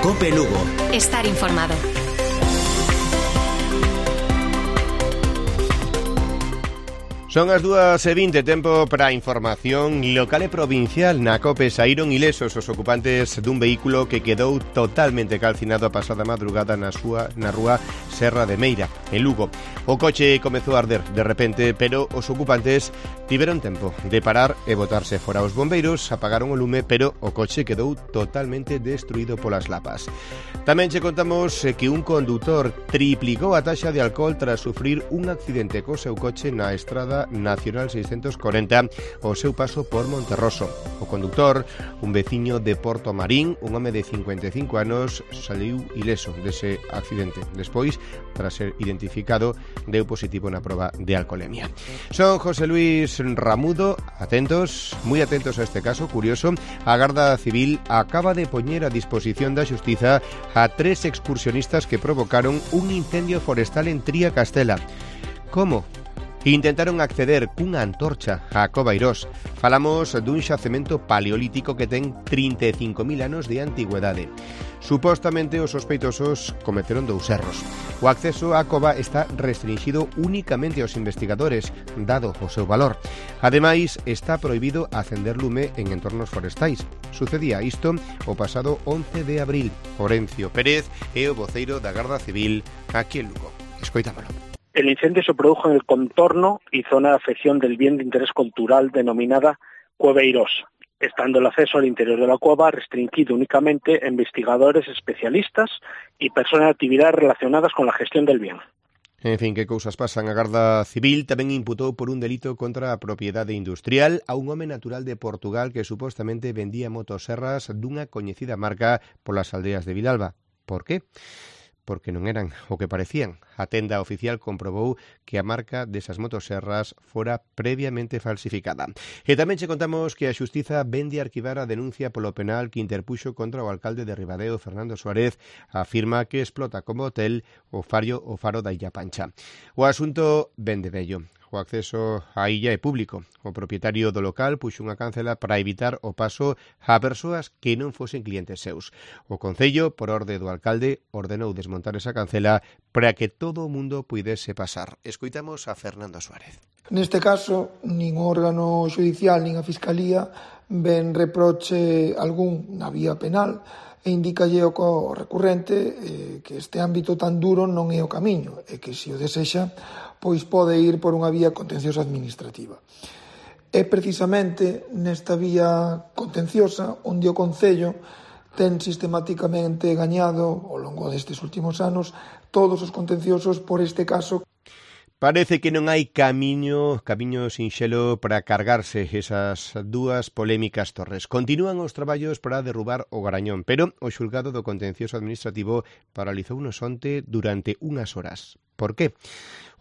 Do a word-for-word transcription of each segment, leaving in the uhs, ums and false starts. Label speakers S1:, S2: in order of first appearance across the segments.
S1: COPE Lugo.
S2: Estar informado.
S3: Son as dúas e vinte, tempo para a información local e provincial. Na COPE saíron ilesos os ocupantes dun vehículo que quedou totalmente calcinado a pasada madrugada na, súa, na rúa Serra de Meira, en Lugo. O coche comezou a arder de repente, pero os ocupantes tiveron tempo de parar e botarse fora. Os bombeiros apagaron o lume, pero o coche quedou totalmente destruído polas lapas. Tamén che contamos que un condutor triplicou a taxa de alcohol tras sufrir un accidente co seu coche na estrada Nacional seiscentos corenta o seu paso por Monterroso. O condutor, un veciño de Porto Marín, un home de cincuenta e cinco anos, saliu ileso dese accidente. Despois, tras ser identificado, deu positivo na proba de alcoholemia. Son José Luis Ramudo, atentos, moi atentos a este caso curioso. A Garda Civil acaba de poñer a disposición da Xustiza a tres excursionistas que provocaron un incendio forestal en Tría Castela. Como? Intentaron acceder cunha antorcha a Cova Irós. Falamos dun xacemento paleolítico que ten trinta e cinco mil anos de antigüedade. Supostamente os sospeitosos cometeron dous erros. O acceso á cova está restringido únicamente aos investigadores, dado o seu valor. Ademais, está prohibido acender lume en entornos forestais. Sucedía isto o pasado once de abril. Orencio Pérez é o voceiro da Garda Civil aquí en Lugo. Escoitámolo.
S4: El incendio se produjo en el contorno y zona de afección del bien de interés cultural denominada Cueva Irós, estando el acceso al interior de la cueva restringido únicamente a investigadores especialistas y personas de actividades relacionadas con la gestión del bien.
S3: En fin, que cousas pasan. A Garda Civil tamén imputou por un delito contra a propiedade industrial a un home natural de Portugal que supostamente vendía motoserras dunha coñecida marca polas aldeas de Vilalba. Por qué? Porque non eran o que parecían. A tenda oficial comprobou que a marca desas motoserras fora previamente falsificada. E tamén che contamos que a Xustiza vende arquivar a denuncia polo penal que interpuxo contra o alcalde de Ribadeo, Fernando Suárez, afirma que explota como hotel o faro, o faro da Illa Pancha. O asunto vende vello. O acceso á illa é público. O propietario do local puxo unha cancela para evitar o paso a persoas que non fosen clientes seus. O Concello, por orde do alcalde, ordenou desmontar esa cancela para que todo o mundo puidese pasar. Escoitamos a Fernando Suárez.
S5: Neste caso, nin o órgano judicial nin a Fiscalía ven reproche algún na vía penal e indicalle ao recurrente eh, que este ámbito tan duro non é o camiño e que, se o desexa, pois pode ir por unha vía contenciosa administrativa. É precisamente nesta vía contenciosa onde o Concello ten sistematicamente gañado ao longo destes últimos anos todos os contenciosos por este caso.
S3: Parece que non hai camiño, camiño sinxelo para cargarse esas dúas polémicas torres. Continúan os traballos para derrubar o Garañón, pero o xulgado do contencioso administrativo paralizounos onte durante unhas horas. Por qué?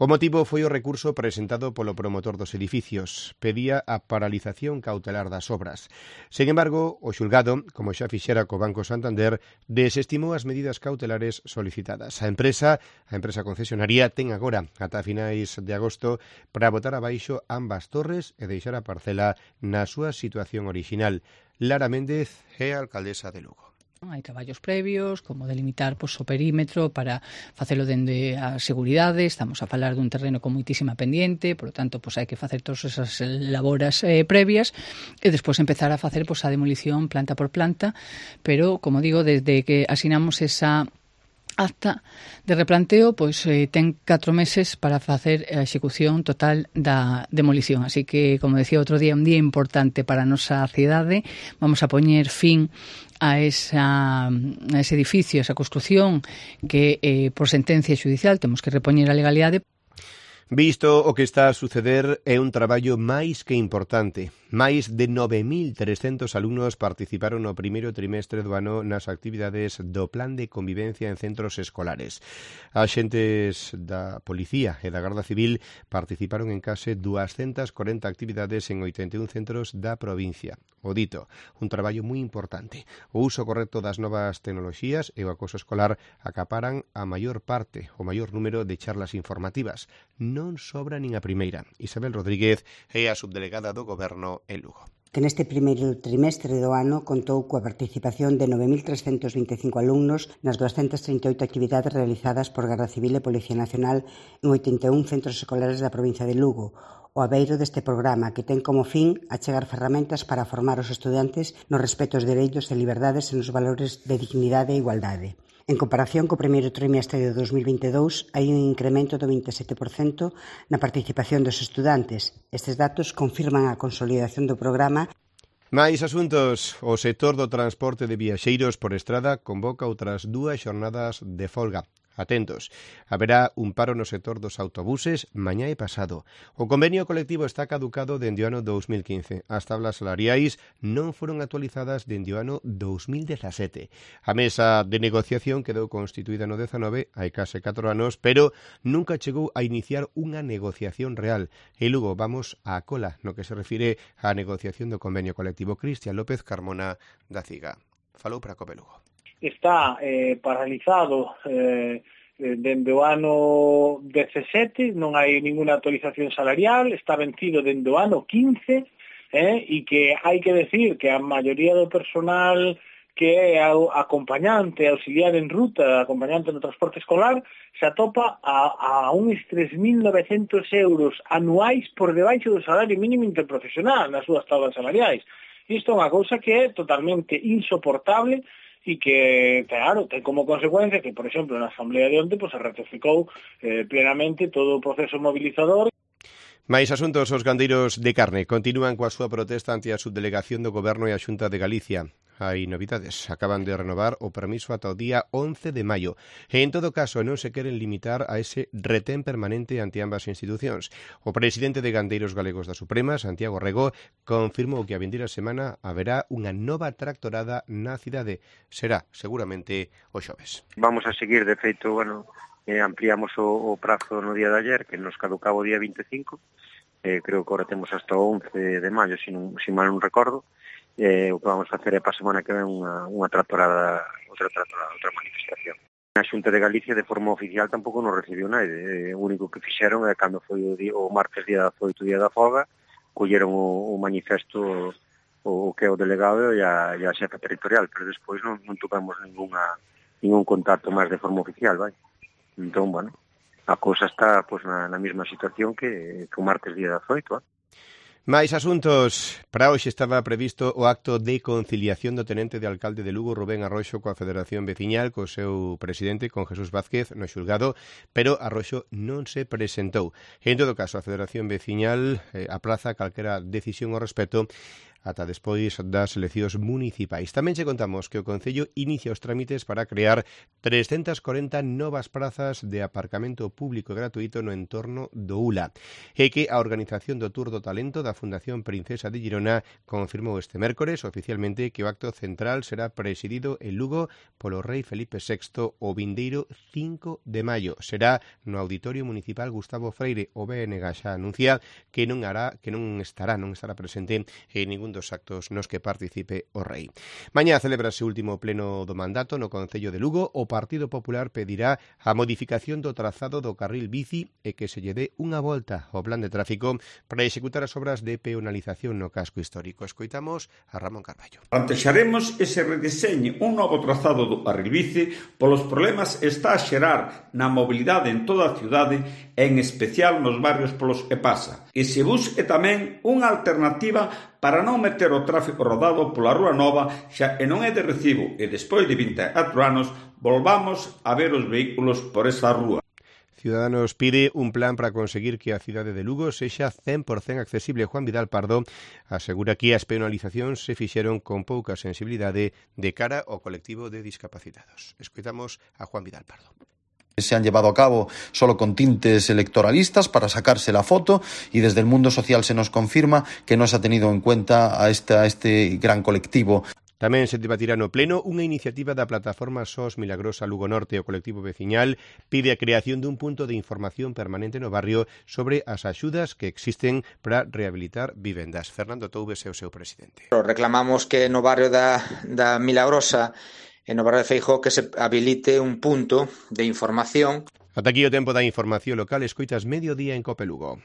S3: O motivo foi o recurso presentado polo promotor dos edificios. Pedía a paralización cautelar das obras. Sen embargo, o xulgado, como xa fixera co Banco Santander, desestimou as medidas cautelares solicitadas. A empresa, a empresa concesionaria, ten agora ata finais de agosto para botar abaixo ambas torres e deixar a parcela na súa situación orixinal. Lara Méndez é a alcaldesa de Lugo.
S6: Hai traballos previos, como delimitar pois, o perímetro para facelo dende a seguridade. Estamos a falar dun terreno con moitísima pendiente, por lo tanto, pois, hai que facer todas esas laboras eh, previas e despois empezar a facer pois, a demolición planta por planta, pero, como digo, desde que asinamos esa acta de replanteo, pois eh, ten catro meses para facer a execución total da demolición. Así que, como decía outro día, un día importante para a nosa cidade. Vamos a poñer fin a, esa, a ese edificio, a esa construción que, eh, por sentencia xudicial, temos que repoñer a legalidade.
S3: Visto o que está a suceder, é un traballo máis que importante. Máis de nove mil trescentos alumnos participaron no primeiro trimestre do ano nas actividades do Plan de Convivencia en Centros Escolares. Axentes da Policía e da Garda Civil participaron en case duascentas corenta actividades en oitenta e un centros da provincia. O dito, un traballo moi importante. O uso correcto das novas tecnoloxías e o acoso escolar acaparan a maior parte, o maior número de charlas informativas. Non sobra nin a primeira. Isabel Rodríguez é a subdelegada do Goberno en Lugo.
S1: que neste primeiro trimestre do ano contou coa participación de nove mil trescentos vinte e cinco alumnos nas doscientas trinta e oito actividades realizadas por Garda Civil e Policía Nacional en oitenta e un centros escolares da provincia de Lugo, o abeiro deste programa que ten como fin achegar ferramentas para formar os estudantes nos respeto aos dereitos e liberdades e nos valores de dignidade e igualdade. En comparación co primeiro trimestre de dos mil vinte e dous, hai un incremento do vinte e sete por cento na participación dos estudantes. Estes datos confirman a consolidación do programa.
S3: Máis asuntos. O sector do transporte de viaxeiros por estrada convoca outras dúas xornadas de folga. Atentos, haberá un paro no sector dos autobuses mañá e pasado. O convenio colectivo está caducado dende o ano dous mil quince. As tablas salariais non foron actualizadas dende o ano dous mil dezasete. A mesa de negociación quedou constituída no dezanove, hai case catro anos, pero nunca chegou a iniciar unha negociación real. E logo vamos á cola no que se refire á negociación do convenio colectivo. Cristian López Carmona da Ciga falou para Cope Lugo.
S2: Está eh, paralizado eh, dende o ano dezasete, non hai ninguna actualización salarial, está vencido dende o ano quince, eh, e que hai que decir que a maioría do personal que é acompañante, auxiliar en ruta, acompañante no transporte escolar, se atopa a, a uns tres mil novecentos euros anuais por debaixo do salario mínimo interprofesional nas súas tablas salariais. Isto é unha cousa que é totalmente insoportable e que, claro, ten como consecuencia que, por exemplo, na Asamblea de onte pues, se ratificou eh, plenamente todo o proceso mobilizador.
S3: Mais asuntos, os gandeiros de carne continúan coa súa protesta ante a subdelegación do Goberno e a Xunta de Galicia. Hai novidades, acaban de renovar o permiso ata o día once de maio. E, en todo caso, non se queren limitar a ese retén permanente ante ambas institucións. O presidente de Gandeiros Galegos da Suprema, Santiago Rego, confirmou que a vindeira semana haberá unha nova tractorada na cidade. Será, seguramente, o xoves.
S7: Vamos a seguir, de feito, bueno, eh, ampliamos o, o prazo no día de ayer, que nos caducaba o día vinte e cinco. Eh, creo que agora temos hasta o once de maio, se non, se mal non recordo. Eh, o que vamos a facer é para a semana que ven unha, unha tractorada, outra tractorada, outra manifestación. A Xunta de Galicia de forma oficial tampouco nos recibiu nada. Eh, o único que fixeron é cando foi o, día, o martes día dezaoito, día da folga, colleron o, o manifesto o, o que é o delegado e a, e a xefa territorial, pero despois non, non tocamos ninguna, ningún contacto máis de forma oficial, vai. Entón, bueno, a cousa está pues, na, na mesma situación que, que o martes día dezaoito, vai.
S3: Mais asuntos. Para hoxe estaba previsto o acto de conciliación do tenente de alcalde de Lugo, Rubén Arroxo, coa Federación Veciñal, co seu presidente, con Jesús Vázquez, no xulgado, pero Arroxo non se presentou. En todo caso, a Federación Veciñal eh, aplaza calquera decisión ao respecto ata despois das eleccións municipais. Tamén che contamos que o Concello inicia os trámites para crear trescentas corenta novas prazas de aparcamento público e gratuito no entorno do U L A e que a organización do Tour do Talento da Fundación Princesa de Girona confirmou este mércores oficialmente que o acto central será presidido en Lugo polo rei Felipe sexto o vindeiro cinco de maio. Será no Auditorio Municipal Gustavo Freire. O B N G xa anuncia que non hará, que non estará, non estará presente en ningún dos actos nos que participe o rei. Mañá celebrase o último pleno do mandato no Concello de Lugo. O Partido Popular pedirá a modificación do trazado do carril bici e que se lle dé unha volta ao plan de tráfico para executar as obras de peonalización no casco histórico. Escoitamos a Ramón Carballo.
S8: Plantexaremos ese redeseño, un novo trazado do carril bici polos problemas está a xerar na mobilidade en toda a cidade e en especial nos barrios polos que pasa. E se busque tamén unha alternativa para non meter o tráfico rodado pola Rúa Nova xa e non é de recibo e despois de vinte e catro anos volvamos a ver os vehículos por esa rúa.
S3: Ciudadanos pide un plan para conseguir que a cidade de Lugo sexa cen por cento accesible. Juan Vidal Pardo asegura que as penalizacións se fixeron con pouca sensibilidade de cara ao colectivo de discapacitados. Escoitamos a Juan Vidal Pardo.
S9: Se han llevado a cabo solo con tintes electoralistas para sacarse la foto y desde el mundo social se nos confirma que no se ha tenido en cuenta a este, a este gran colectivo.
S3: Tamén se debatirá no pleno unha iniciativa da plataforma S O S Milagrosa Lugo Norte. O colectivo veciñal pide a creación dun punto de información permanente no barrio sobre as axudas que existen para rehabilitar vivendas. Fernando Toubes é o seu presidente.
S10: Reclamamos que no barrio da, da Milagrosa e no barrio de Feijóo que se habilite un punto de información.
S3: Ata aquí o tempo da información local. Escoitas Mediodía en Cope Lugo.